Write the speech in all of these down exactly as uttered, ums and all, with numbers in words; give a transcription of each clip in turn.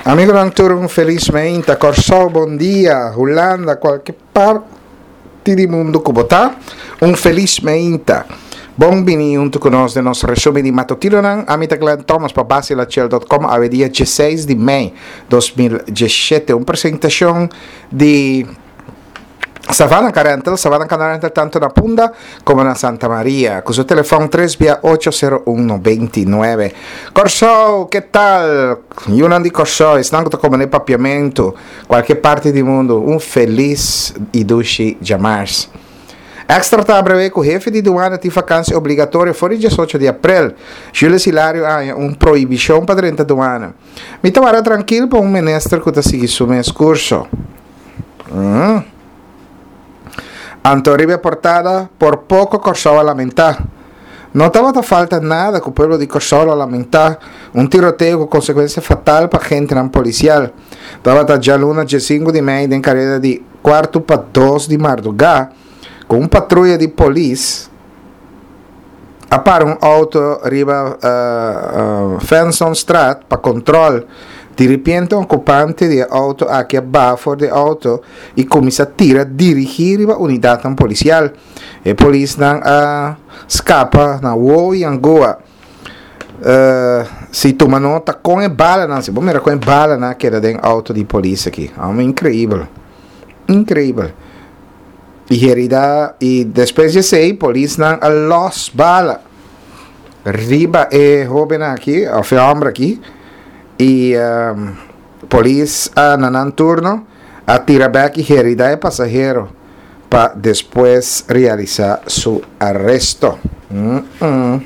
Amigonan tur un felis meinta. Kòrsou bon dia, Hulanda, kualke parti di mundu ku bo ta, un felis meinta. Bon bini huntu ku nos den nos resumen di matutinonan. Ami ta Glenn Thomas pa Basilachel dot com awe dia diesseis di mei dos mil diesshete. Un presentashon di Savannah Car Rental, Savannah Car Rental tanto na Punda como na Santa Maria, cu su telefon tres bia ocho sero un noventa i nuebe. Kòrsou, ke tal? Yunan di Kòrsou, esnan ku ta komende papiamentu, kualke parti di mundu, un felis i dushi djamars. Extra ta abrewé ku hefe di duana tin vakansi obligatorio for di diesocho di aprel. Julius Hilario a haña un prohibishon pa drenta duana. Mi ta wara trankil pa un minister ku ta sigui su mes kurso. Mm. Anto riba e portada, por poko Kòrsou a lamentá. No tabata falta nada ku pueblo di Kòrsou lo lamentá un tiroteo ku konsekuensia fatal pa agentenan polisial. Tabata djaluna diesinku di mei den kareda di kuartu pa dos di mardugá ku un patruya di polis a para un auto riba Fensonstraat pa control. Di ripiente un ocupante di e auto aki a baha for di e auto y cuminsa tira dirigi riba unidadnan policial. E polisnan a scapa na wowo y angoa. Si tuma nota con e balanan, si bo mira con e balanan a keda den auto di polis aki. Amo increibel. Increibel. Y herida y despues di esey polisnan a los bala riba e hoben aki of e homber aki y um, polis a na nan turno a tira bek y herida e pasahero pa despues realisa su aresto. Mm -mm.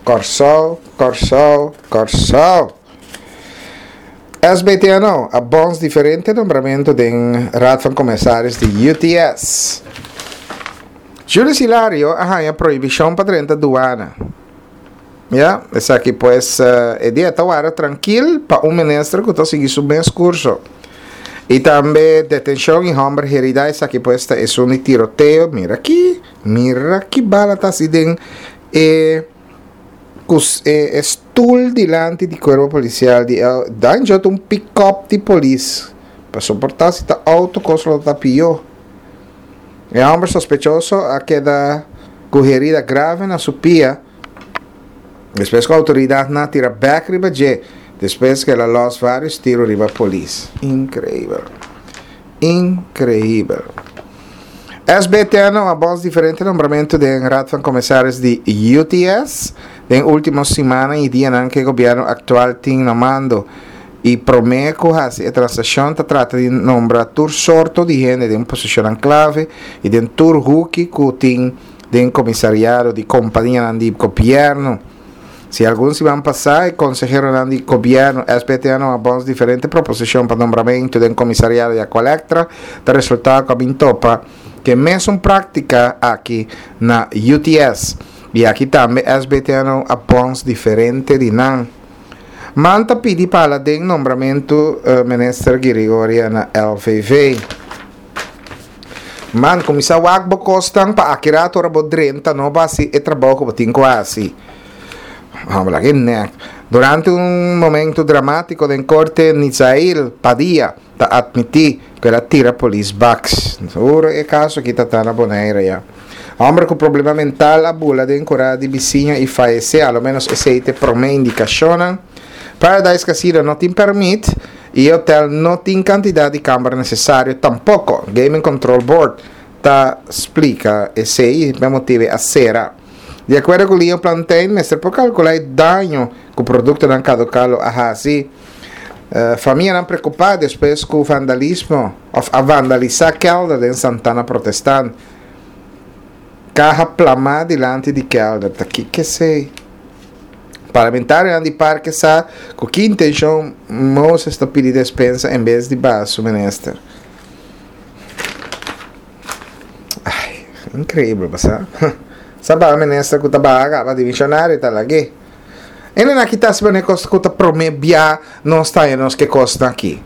Kòrsou, Kòrsou, Kòrsou. S B T N O a bons diferente nombramentu den Raad van Commissaris di U T S. Julius Hilario a haña prohibishon pa drenta duana. Ya, esaki pues e dia ta wara trankil pa un minister ku ta sigui su mes kurso. I tambe detenshon i hòmber herida, esaki pues ta esun di tiroteo. Mira ki, mira ki bala ta hasi den e ku e e stoel dilanti di cuerpo policial di e dan jo ta un pick-up di polis pa soporta si ta auto cos lo ta pio. E homber sospechoso a keda cu herida grave na su pia despues cu autoridadnan a tira bek riba dje despues cu el a los varios tiro riba polis. Increibel. Increibel. S B T N a bos diferente nombramentu den Raad van Commissaris di U T S den ultimo simannan y dianan cu e gobierno actual tin na mando y prome cu haci e transaccion ta trata di nombra tur sorto di hende den posicionnan clave y den tur huki cu tin den comisariado di companianan di gobierno. Si algun siman pasá e konseheronan di gobièrnu S B T N a bòns diferente proposishon pa nombramentu den komisariado di Aqualectra, ta resultá ku a bin topa ku e mesun práktika aki na U T S. I aki tambe S B T N a bòns diferente di nan. Man ta pidi pa hala den nombramentu Minister Girigoria na L V V. Man, kuminsá wak bo kosnan pa aki rato ora bo drenta no bo hasi e trabou ku bo tin ku hasi. Hòmber, laga e nèk. Durante un momento dramátiko den korte, Nizail Padilla ta atmití ku el a tira polis baks. Seguro e kaso aki ta ta na Bonaire ya. Hòmber ku problema mental a bula den kurá di bisiña i fayesé, a lo ménos esei ta e promé indikashonnan. Paradise Casino no tin pèrmit. I e hotel no tin kantidat di kamber nesesario tampoko, Gaming Control Board ta splika esei i pa e motibu a sera. Di akuerdo ku Leo Plantein mester por kalkulá e daño ku produktonan kaduká lo a hasi. Famianan preokupá despues ku vandalismo òf a vandalisá kèlder den Santana Protestant. Kaha plamá dilanti di kèlder, ta kiko esei? Parlamentarionan di parke sa ku ki intenshon Moses ta pidi despensa en bes di baha su minister. Ai, inkreibel bo sa. Sa baha minister ku ta baha kaba dimishonario ta lag'é. Ene nan kita hasi manera kos ku ta promé bia nos ta haña nos ke kosnan aki.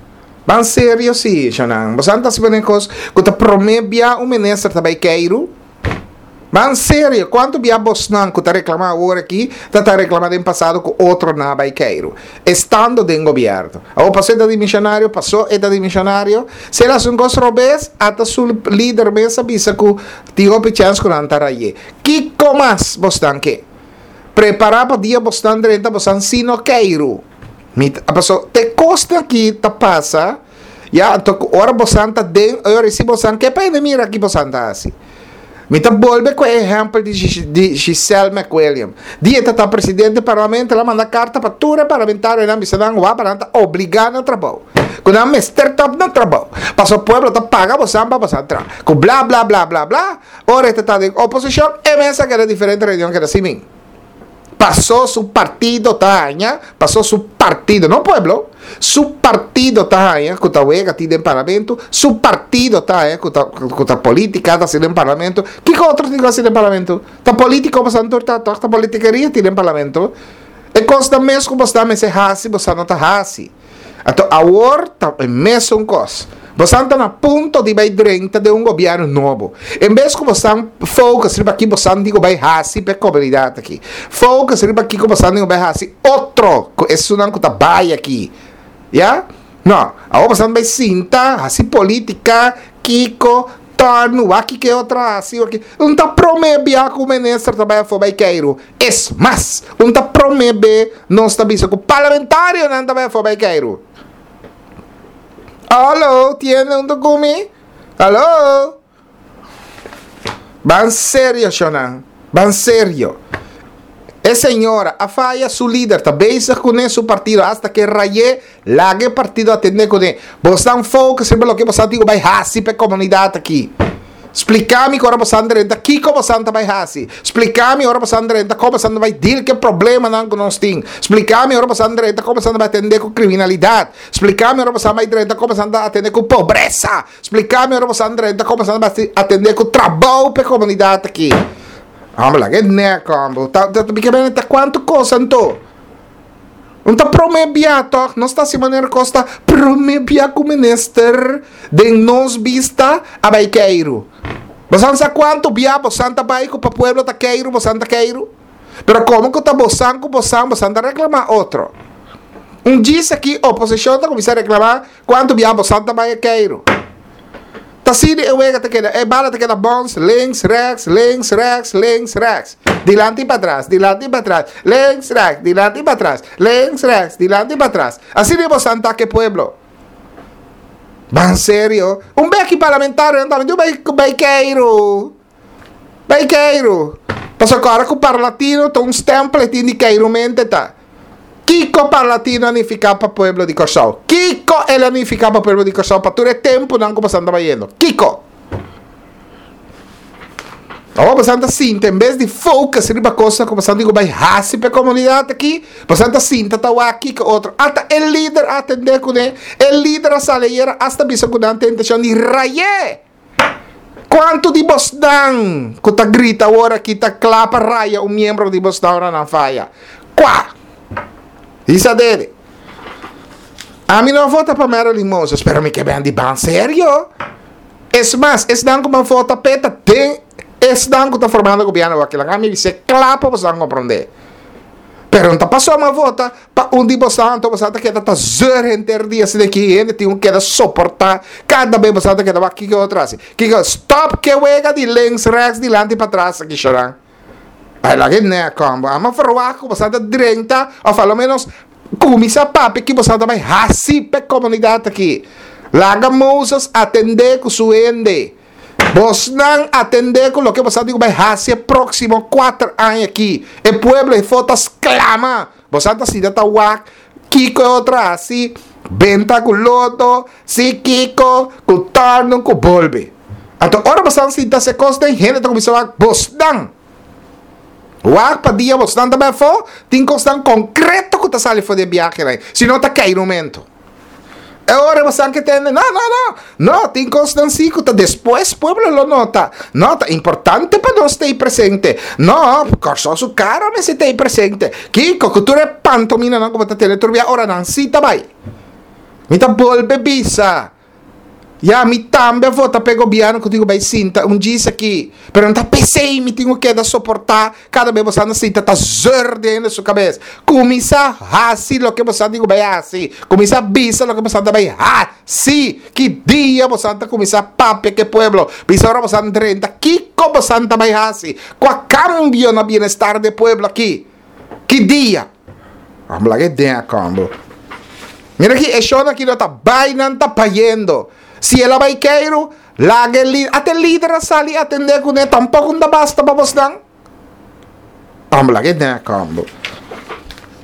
Ban serio si, shonnan. Bo sa ta hasi manera kos ku ta promé bia un minister ta bai keiru? Ban serio, kuantu bia bosnan ku ta reklamá awor aki, ta ta reklamá den pasado ku otronan a bai keiru, estando den gobièrnu. Awor pasó e ta dimishonario, pasó e ta dimishonario, si el hasi un kos robes, ata su lider mes a bisa ku tin hopi chèns ku nan ta ray'é. Kiko mas bosnan ke? Prepará pa dia bosnan drenta bosnan si no keiru. Mi ta, paso te kosnan aki ta pasa, ya, anto ku ora bosnan ta den, ora si bosnan ke pa hende mira ki bosnan ta hasi. Mi ta bolbe ku e ehèmpel di di Giselle McWilliam. Dia e ta ta presidente di parlamento, el a manda karta pa tur e parlamentarionan bisa nan wak pa nan ta obligá na trabou. Ku nan mester ta na trabou. Pasobra pueblo ta paga bosan pa bosan traha. Ku bla bla bla bla bla. Ora e ta ta den oposishon, e mes a keda diferente reunion keda sin min. Pasó su partido ta haña, pasó su partido, no pueblo, su partido ta haña ku ta wega tin den parlamento, su partido ta haña ku ta ku ta polítika ta hasi den parlamento. Kiko otro tin ku hasi den parlamento? Ta polítiko boso tur ta tòg, ta politikeria tin den parlamento. E kosnan mes ku boso ta mester hasi, boso no ta hasi. Anto awor ta e mesun kos. Bosan ta na punto di bai drenta den un gobièrnu nobo. En bes ku bosan focus riba ki bosan di ku bai hasi pa e komunidat aki, focus riba kiko bosan di ku bai hasi otro ku esunnan ku ta bai aki. Ya? No. Awor bosan bai sinta hasi politika, kiko, tòrnu, wak kiko e otro a hasi, wak ki. Un ta promé bia ku minister ta bai afó bai keiru. Es mas, un ta promé be nos ta bisa ku parlamentarionan ta bai afó bai keiru. Hallo, tiene un ku mi? Hallo? Ban serio, shonnan. Ban serio. E señora a faya, su lider ta bezig kuné, su partido hasta ke ray'é, laga e partido atendé kuné. Bosnan focus riba loke bosan tin ku bai hasi pa e komunidat aki. Splika mi ku ora bosan drenta kiko bosan ta bai hasi. Splika mi ora bosan drenta kon bosan ta bai deal ku e problemanan ku nos tin. Splika mi ora bosan drenta kon bosan ta bai atendé ku kriminalidat. Splika mi ora bosan bai drenta kon bosan ta atendé ku pobresa. Splika mi ora bosan drenta kon bosan ta bai atendé ku trabou pa e komunidat aki. Homber, laga e nek, homber. Ta, ta, ta, ta kuantu kos anto? Un ta prome bia tòg, nos ta hasi manera kos ta prome bia ku minister den nos bista a bai keiru. Bosan sa kuantu bia bosan ta bai ku pa pueblo ta keiru, bosan ta keiru? Pero komo ku ta bosan ku bosan, bosan ta reklamá otro. Un djis aki oposishon ta kuminsá reklamá kuantu bia bosan ta bai a keiru. Ta asina e wega ta keda, e bala ta keda bons, links, rechts, links, rechts, links, rechts. Dilanti i patras, dilanti i patras, links, rechts, dilanti i patras, links, rechts, dilanti i patras. Asina bo san ta ke pueblo. Ban serio. Un beki parlamentarionan tambe diu bai bai keiru. Bai keiru. Pasobra ku ora ku Parlatino ta un stempel e tin di keirumente ta. Kiko Parlatino a nifiká pa pueblo di Kòrsou? Kiko el a nifiká pa pueblo di Kòrsou pa tur e tempunan ku bosan ta bayendo? Kiko? Awor bosan ta sinta en bes di focus riba kosnan ku bosan tin ku bai hasi pa e komunidat aki, bosan ta sinta ta wak kiko otro. Ata e lider a atendé kuné, e lider a sali ayera asta bisa ku nan tin inteshon di ray'é. Kuantu di bosnan ku ta grita awor aki ta kla pa raya un miembro di bosnan ora nan faya? Kua? Hisa dede. Ami no a vota pa Marilyn Moses, pero mi ke ben di ban serio. Es mas, esnan ku ban vota p'e ta den esnan ku ta formando gobièrnu awor aki. Laga mi bis'é kla pa bosnan komprondé. Pero no ta pasobra mi a vota pa un di bosan, anto bosan ta keda ta zeur henter dia asina ki hende tin ku keda soportá kada bes bosan ta keda wak kiko otro hasi. Kiko, stop ke wega di links, rechts, dilanti patras aki shorang. Ai laga e nek homber. Amo verwagt ku bosan ta drenta òf a lo menos kuminsá papia ki bosan ta bai hasi pa e komunidat aki. Laga Moses atendé ku su hende. Bosnan atendé ku loke boso a di ku bai hasi e próksimo kuater aña akí. E pueblo efo ta sklama. Boso ta sinta ta wak kiko e otro a hasi, benta ku lodo, si kiko, ku tòrnu, ku bolbe. Anto ora boso a sinta hasi e kos den, hende ta kuminsá wak bosnan. Wak pa dia bosnan ta bai afó, tin kosnan konkreto ku ta sali for di e biahenan, si no ta keirumentu. E ora bo sa ke tende, no, no, no, no, tin kosnan si ku ta despues pueblo lo nota. No, ta importante pa nos ta ei presente. No, Kòrsou su kara mester ta ei presente. Kiko ku tur e pantominanan ku bo ta tene tur bia ora nan si ta bai. Mi ta bolbe bisa, Ya, mi tambe a vota pa e gobièrnu ku tin ku bai sinta un djis aki. Pero no ta p'esei mi tin ku keda soportá kada bes boso anda sinta ta zeur den su kabes. Kuminsá hasi loke boso tin ku bai hasi. Kuminsá bisa loke boso ta bai hasi. Ki dia boso ta kuminsá papia ku e pueblo? Bisa ora boso drenta kiko boso ta bai hasi? Kua kambio na bienestar di e pueblo aki? Ki dia? Amo laga e den a kombo. Mira aki, e shownan aki no ta bai, nan ta bayendo. Si el a bai keiru, laga e lider, ata e lider a sali atendé kuné, tampoko no ta basta pa bosnan. Amo laga e den a kombo.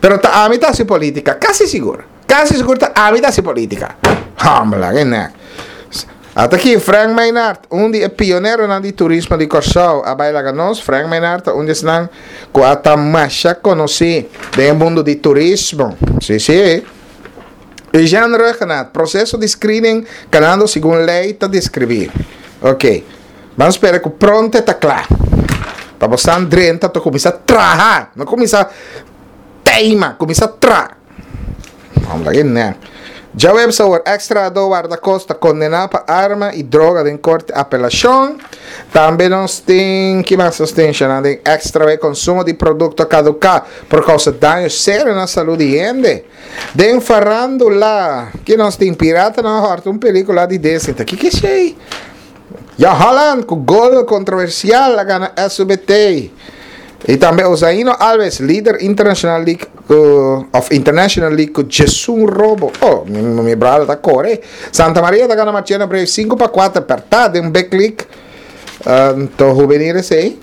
Pero ta ami ta hasi politika, kasi sigur. Kasi sigur ta ami ta hasi politika. Amo laga e nek. Ata aki Frank Maynard, un di e pioneronan di turismo di Kòrsou, a bai laga nos. Frank Maynard ta un di esnan ku a ta masha konosí den e mundu di turismo. Sí, sí. Eugène Rhuggenaath, proseso di screening kanando segun lei ta deskribí. Ok. Ban spera ku pronto e ta kla. Pa bosan drenta ta kuminsá traha, no kuminsá teima, kuminsá traha. Vamos laga e nek. Djaweps awor, eks trahadó wardakosta kondená pa arma i droga den korte apelashon. Tambe nos tin, ki mas nos tin shana den extra e konsumo di produkto kaduká por kousa daño serio na salú di hende. Den farándula, ki nos tin? Piratanan a hòrta un pelíkula di Disney. Ta kiko esei? Ya Holland ku gol kontroversial a gana S U B T. I tambe Ozaino Alves, lider International League ku of International League ku djesun robo. Oh, mi, mi brother ta kore. Santa Maria ta gana Marchena Braves sinku pa kuater pertá den Big League. Anto juvenil esei.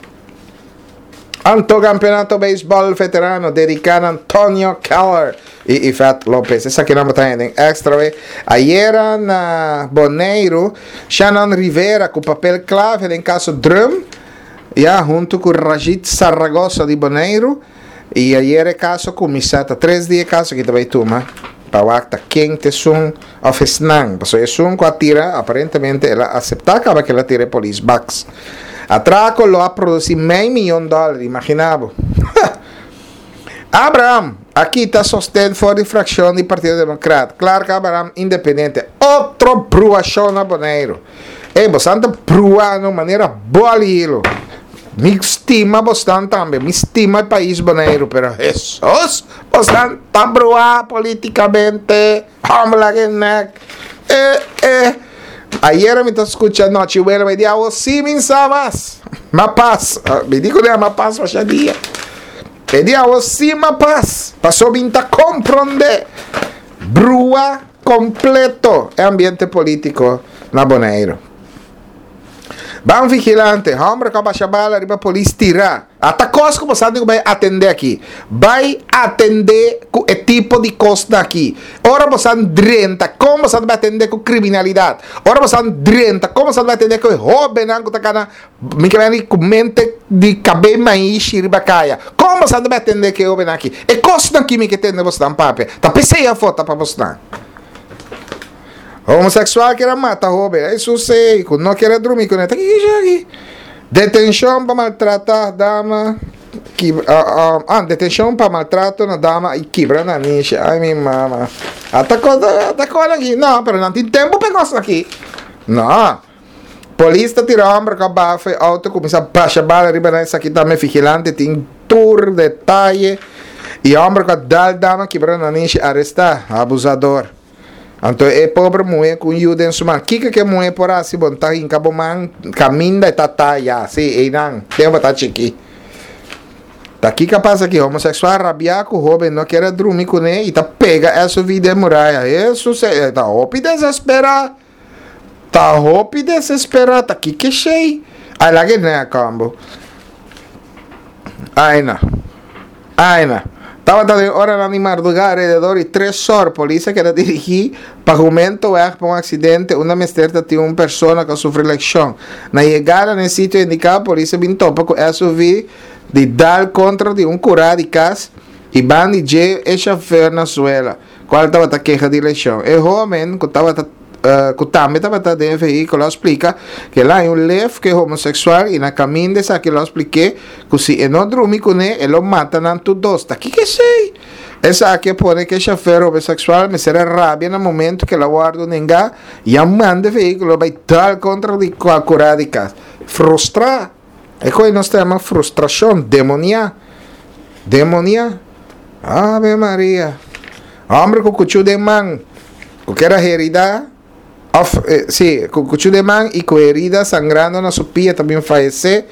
Anto Campeonato Beisbol Veterano dediká na Antonio Keller i Yvette Lopez. Esaki nan bo ta hende extra we. Ayera na Boneiru, Shannon Rivera ku papel clave den kaso Drum, ya huntu ku Rajit Saragossa di Boneiru. I ayera e kaso kuminsá, ta tres dia e kaso ki ta bai tuma pa wak ta ken ta esun òf esnan. Pasobra esun ku a tira aparentemente el a aseptá kaba ku el a tira e polis baks. Atraco lo a produci mei miyon dollar, imagina bo. Abraham a kita sosten for di fraccion di Partido Democrat. Clark Abraham independiente. Otro bruacion na Boneiru. Ey, bosan ta brua no manera boli hilo. Mi stima bosnan tambe, mi stima e pais Boneiru, pero Jesus, bosnan ta brua politicamente. Hombre la que nek. Eh, eh. Ayera mi ta scucha nochi wela, mi di awo si mi sa mas. Ma pas. Mi di ku ma pas masha dia. E di awo si ma pas. Paso mi ta compronde. Brua completo e ambiente politico na Boneiru. Ban vigilante, hombre ku basha bala riba polis tira. Ata kos ku boso tin ku bai atendé aki. Bai atendé ku e tipo di kosnan aki. Ora boso drenta, kon boso bai atendé ku kriminalidat? Ora boso drenta, kon boso bai atendé ku e hóbennan ku ta kana mi ke bini ku mente di kabei maishi riba kaya? Kon boso bai atendé ku e hóbennan aki? E kosnan aki mi ke tende bosnan papia. Ta p'esei afó ta pa bosnan. Homosexual kier a mata hoben. Ey susey cu no kier a drumi cune. Ta kiki aki? Detencion pa maltrata dama. Kibra, ah, ah, detencion pa maltrato na dama y kibra nanishi. Ay mi mama. Ata cos, ata cos aki. No, pero nan tin tempo pa e cos aki. No. Polis ta tira homber cu a baha for e auto cuminsa basha bala riba nan. Esaki tambe vigilante tin tur detaye. Y homber cu a dal dama kibra nanishi aresta. Abusador. Anto e pobre muhé ku un yu den su man. Kiko ku e muhé por hasi? Bo no ta hinka bo man kaminda e ta taya. Sí, einan, tempu bo ta chikí. Ta kiko a pasa aki? Homoseksual rabiá ku hóben no kier a drumi kuné i ta pega S U V den muraya. Hesus, e ta hopi desesperá. Ta hopi desesperá. Ta kiko esei? Ai, laga e nen a kambo. Ai na. Ai na. Tabata den oranan di mardugá alrededor di tres or, polis a keda dirigí pa Jumentoweg pa un aksidente unda mester ta tin un persona ku a sufri lekshon. Na yegada na e sitio indiká, polis a bin topa ku S U V di dal kontra di un kurá di kas i ban di dje e shofèr na suela, kual tabata keha di leshon. E hómen ku tabata uh, ku tambe tabata den e vehíkulo a splika ku el a haña un lef ku e homoseksual i na kaminda esaki lo a splik'é ku si e no drumi kuné e lo mata nan tur dos. Ta kiko esei? Esaki a pone ku e shofèr homoseksual mester a rabia na momentu ku el a wòrdu nengá i a manda e vehíkulo bai dal kontra di kurá di kas. Frustrá! E koe nos ta yama frustrashon, demoniá. Demoniá. Ave Maria! Hòmber ku kuchú den man, ku ker a heridá, òf, sí, ku kuchú den man i ku herida sangrando na su pia ta bin fayesé.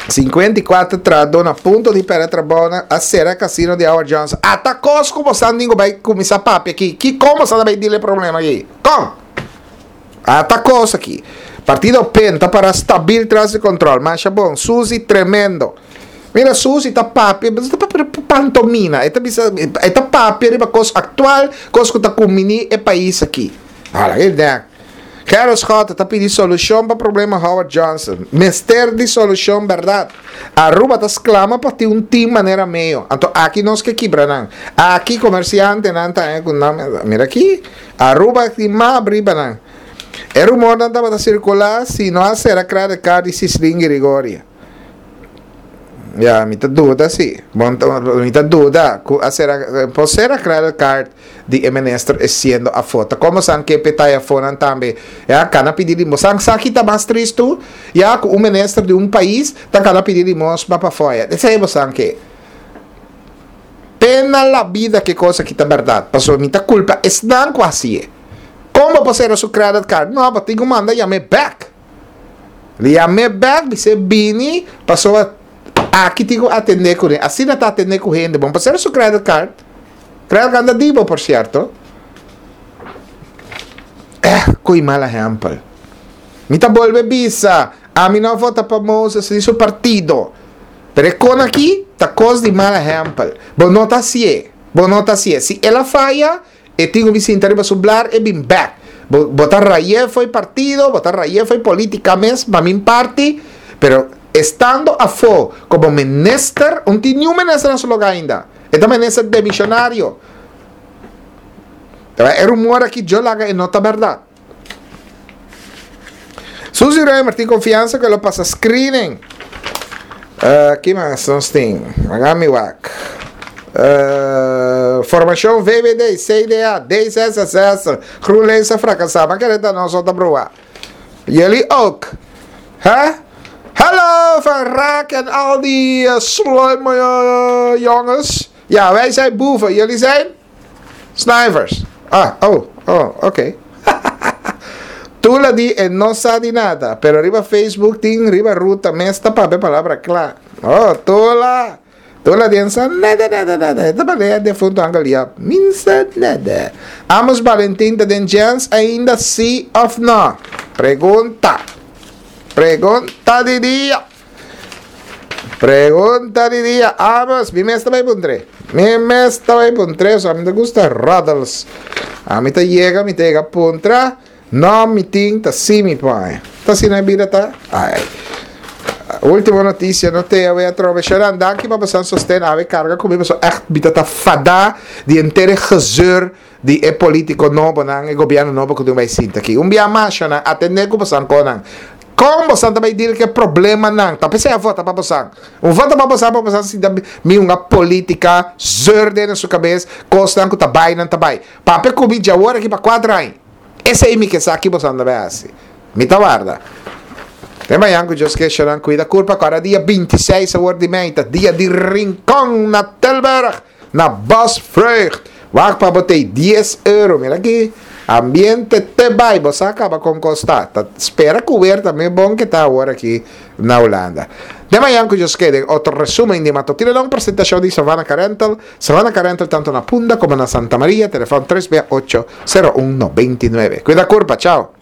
Sinkuenta i kuater trahadó na punto di pèrdè trabou na a sera kasino di Howard Johnson. Ata kos ku bosan tin ku bai kuminsá papia aki. Ki kon bosan ta bai dil e problema aki? Kon? Ata kos aki. Partido pen ta para stabil tras di kontrol. Masha bon. Suzy tremendo. Mira Suzy ta papia, ta papia pantomina. E ta bisa, e ta papia riba kos aktual, kos ku ta kumini e pais aki. Hala e dek. Gerrit Schotte ta pidi solushon pa problema Howard Johnson. Mester di solushon bèrdat. Aruba ta sklama pa tin un team manera Meo. Anto aki nos ke kibra nan. Aki komersiantenan ta haña ku nan, mira aki, Aruba tin map riba nan. E rumornan tabata sirkulá si no a sera credit card di Sislin Girigoria. Ya, mi ta duda si. Bon, mi ta duda ku a sera, por sera credit card di e minister e siendo afó. Ta komo san ke pe tai afónan tambe. Ya, kana pidi limos. San sa ki ta mas tristu? Ya, ku un minister di un pais ta kana pidi limos pa pafó. Ya, esei bo san ke. Pena la bida ke kos aki ta bèrdat, pasobra mi ta kulpa esnan ku hasié. Kon bo por sera su credit card? No, bo tin ku manda yam'é bèk. Li yam'é bèk, bis'é bini, pasobra aki tin ku atendé kuné. Asina ta atendé ku hende. Bo no por sera su credit card. Credit card ta di bo, por sierto. Eh, koe mal ehèmpel. Mi ta bolbe bisa, ami no a vota pa Moses ni su partido. Pero e kon aki ta kos di mal ehèmpel. Bo no ta hasié. Bo no ta hasié. Si el a faya, e tin ku bin sinta riba su blar, e bin bèk. Bo, bo ta ray'é fo'i partido, bo ta ray'é fo'i polítika mes, pa min parti, pero estando afó komo minister, un tin niun minister na su lugá ainda. E ta minister demishonario. E rumor aki djo laga e no ta bèrdat. Suzy Römer tin konfiansa ku e lo pasa screening. Uh, ki mas nos tin? Laga mi wak. Uh, formashon V V D, C D A, D zesenzestig, GroenLinks a frakasá. Ma kere ta nos ota brua. Jullie ook. Hè? Hallo Van Raak en al die uh, sluime uh, jongens. Ja, wij zijn boeven. Jullie zijn? Snivers. Ah, oh, oh, oké. Okay. Tula di e no sa di nada, pero riba Facebook tin riba ruta mes ta papia palabra kla. Oh, Tula! Tula di en sa nada, nada, nada. E ta palea defunto Angel Yap. Min sa nada. Amos Valentin ta den chance ainda si of no? Pregunta. Pregunta di dia. Pregunta di dia. Amos, mi mes ta bai puntre. Mi mes ta bai puntre, so ami ta gusta roddels. Ami ta yega, mi ta yega puntra. No, mi tin, ta si mi pone. Ta asina e bida ta? Ai. Ultimo noticia no te awe atrobe. Sharan, danki pa bosan sosten. Awe carga cu mi paso echt mi ta ta fada di henter e gezeur di e politico nobonan, e gobierno nobo cu tin bay sinta aki. Un bia mas, Sharan, atende cu bosan conan. Con bosan ta bay deal cu e problemanan? Ta pesey a vota pa bosan. Un vota pa bosan pa bosan sinta mi hunga politica zeur den su cabes, cosnan cu ta bay nan ta bay. Papia cu mi djawor aki pa cuatro aña. Esei mi ke sa ki boso anda bai hasi. Mi ta warda. Te mañan ku Dios ke shonan kuida kurpa ku ara dia binti seis awor di mei ta dia di Rincon na Tilburg na Bosvreugd. Wak pa bo tei dies euro. Mira ki ambiente te bai. Bo sa kaba kon kos ta. Ta spera ku weer ta me bon ke ta awor aki na Hulanda. Te mañan ku Dios ke den otro resumen di Matutino Long presentashon di Savannah Carental. Savannah Carental tanto na Punda komo na Santa Maria. Telefon tres bia ocho, sero un, noventa i nuebe. Kuida kurpa. Chao.